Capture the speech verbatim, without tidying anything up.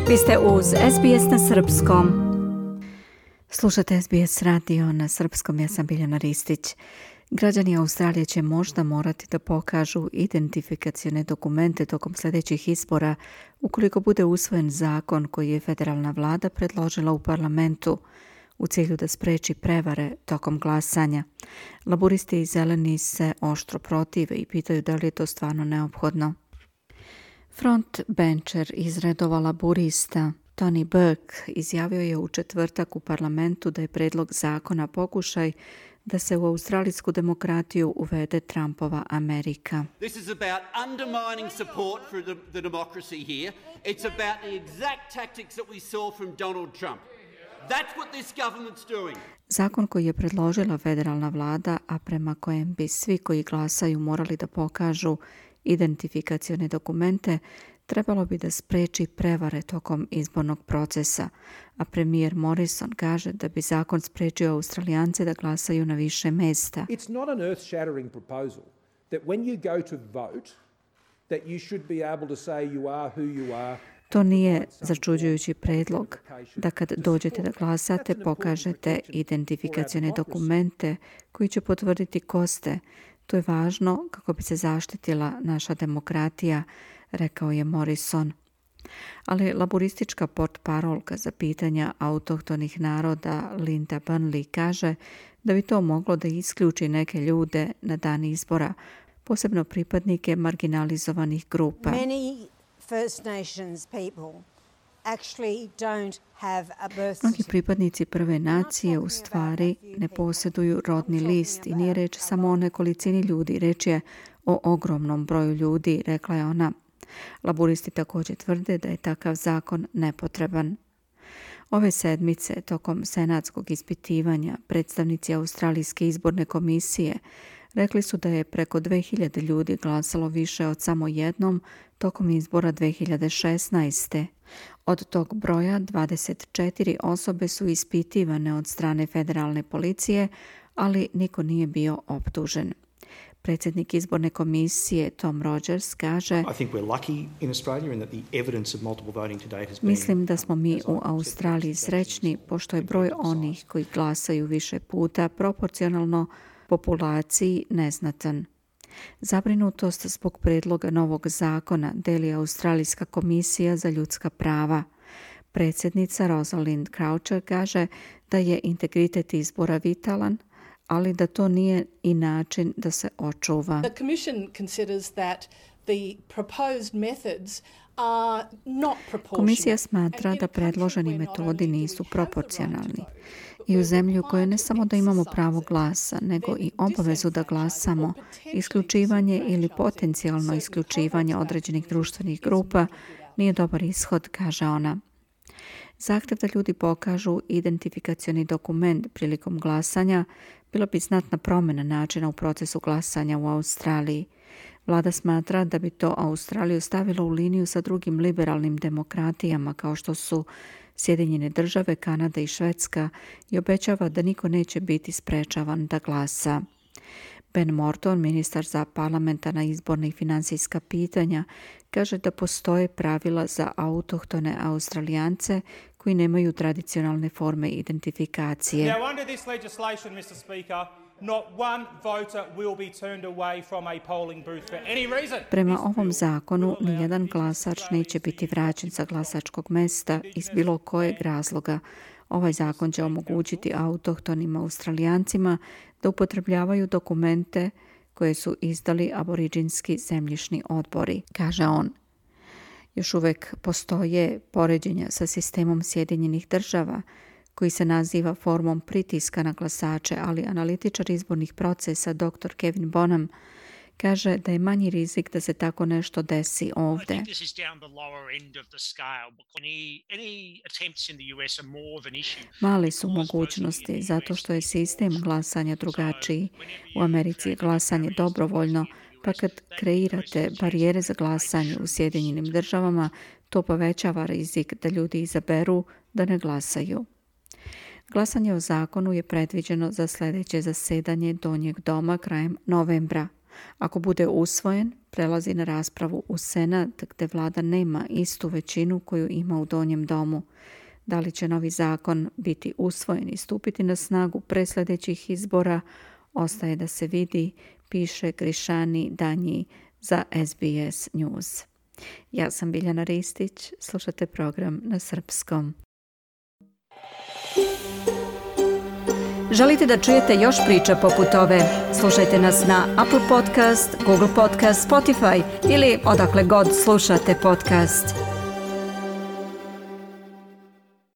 Vi ste uz S B S na srpskom. Slušate S B S radio na srpskom, ja sam Biljana Ristić. Građani Australije će možda morati da pokažu identifikacione dokumente tokom sljedećih izbora ukoliko bude usvojen zakon koji je federalna vlada predložila u parlamentu u cilju da spreči prevare tokom glasanja. Laburisti i zeleni se oštro protive i pitaju da li je to stvarno neophodno. Frontbencher iz redova laburista Tony Burke izjavio je u četvrtak u parlamentu da je predlog zakona pokušaj da se u australijsku demokratiju uvede Trumpova Amerika. This is about undermining support for the, the democracy here. It's about the exact tactics that we saw from Donald Trump. That's what this government's doing. Zakon koji je predložila federalna vlada, a prema kojem bi svi koji glasaju morali da pokažu identifikacione dokumente, trebalo bi da spreči prevare tokom izbornog procesa, a premijer Morrison kaže da bi zakon sprečio Australijance da glasaju na više mesta. It's not an earth-shattering proposal that when you go to vote that you should be able to say you are who you are. To nije začuđujući predlog da kad dođete da glasate pokažete identifikacione dokumente koji će potvrditi ko ste. To je važno kako bi se zaštitila naša demokratija, rekao je Morrison. Ali laboristička portparolka za pitanja autohtonih naroda Linda Burnley kaže da bi to moglo da isključi neke ljude na dan izbora, posebno pripadnike marginalizovanih grupa. Many First Nations people actually don't have a birth certificate. Mnogi pripadnici prve nacije u stvari ne posjeduju rodni list i nije reč samo o nekolicini ljudi, reč je o ogromnom broju ljudi, rekla je ona. Laburisti također tvrde da je takav zakon nepotreban. Ove sedmice, tokom senatskog ispitivanja, predstavnici Australijske izborne komisije rekli su da je preko dve hiljade ljudi glasalo više od samo jednom tokom izbora dve hiljade šesnaeste. Od tog broja dvadeset četiri osobe su ispitivane od strane federalne policije, ali niko nije bio optužen. Predsjednik izborne komisije Tom Rogers kaže: Mislim da smo mi u Australiji srećni pošto je broj onih koji glasaju više puta proporcionalno populaciji neznatan. Zabrinutost zbog predloga novog zakona deli Australijska komisija za ljudska prava. Predsjednica Rosalind Croucher kaže da je integritet izbora vitalan, ali da to nije i način da se očuva. The Commission considers that the proposed methods are not proportionate. Komisija smatra da predloženi metodi nisu proporcionalni. I u zemlji u kojoj ne samo da imamo pravo glasa, nego i obavezu da glasamo, isključivanje ili potencijalno isključivanje određenih društvenih grupa nije dobar ishod, kaže ona. Zahtjev da ljudi pokažu identifikacioni dokument prilikom glasanja bilo bi znatna promjena načina u procesu glasanja u Australiji. Vlada smatra da bi to Australiju stavilo u liniju sa drugim liberalnim demokratijama kao što su Sjedinjene države, Kanada i Švedska i obećava da niko neće biti sprečavan da glasa. Ben Morton, ministar za parlamentarna, izborna i financijska pitanja, kaže da postoje pravila za autohtone Australijance koji nemaju tradicionalne forme identifikacije. Now, under this legislation, mister Speaker, not one voter will be turned away from a polling booth for any reason. Prema ovom zakonu, nijedan glasač neće biti vraćen sa glasačkog mesta iz bilo kojeg razloga. Ovaj zakon će omogućiti autohtonim Australijancima da upotrebljavaju dokumente koje su izdali aboriđinski zemljišni odbori, kaže on. Još uvijek postoje poređenja sa sistemom Sjedinjenih država koji se naziva formom pritiska na glasače, ali analitičar izbornih procesa doktor Kevin Bonham kaže da je manji rizik da se tako nešto desi ovdje. Mali su mogućnosti zato što je sistem glasanja drugačiji. U Americi je glasanje dobrovoljno, pa kad kreirate barijere za glasanje u Sjedinjenim državama, to povećava rizik da ljudi izaberu da ne glasaju. Glasanje o zakonu je predviđeno za sljedeće zasedanje Donjeg doma krajem novembra. Ako bude usvojen, prelazi na raspravu u Senat gdje vlada nema istu većinu koju ima u Donjem domu. Da li će novi zakon biti usvojen i stupiti na snagu pre sljedećih izbora, ostaje da se vidi, piše Grišani Danji za S B S News. Ja sam Biljana Ristić, slušate program na srpskom. Želite da čujete još priča poput ove? Slušajte nas na Apple Podcast, Google Podcast, Spotify ili odakle god slušate podcast.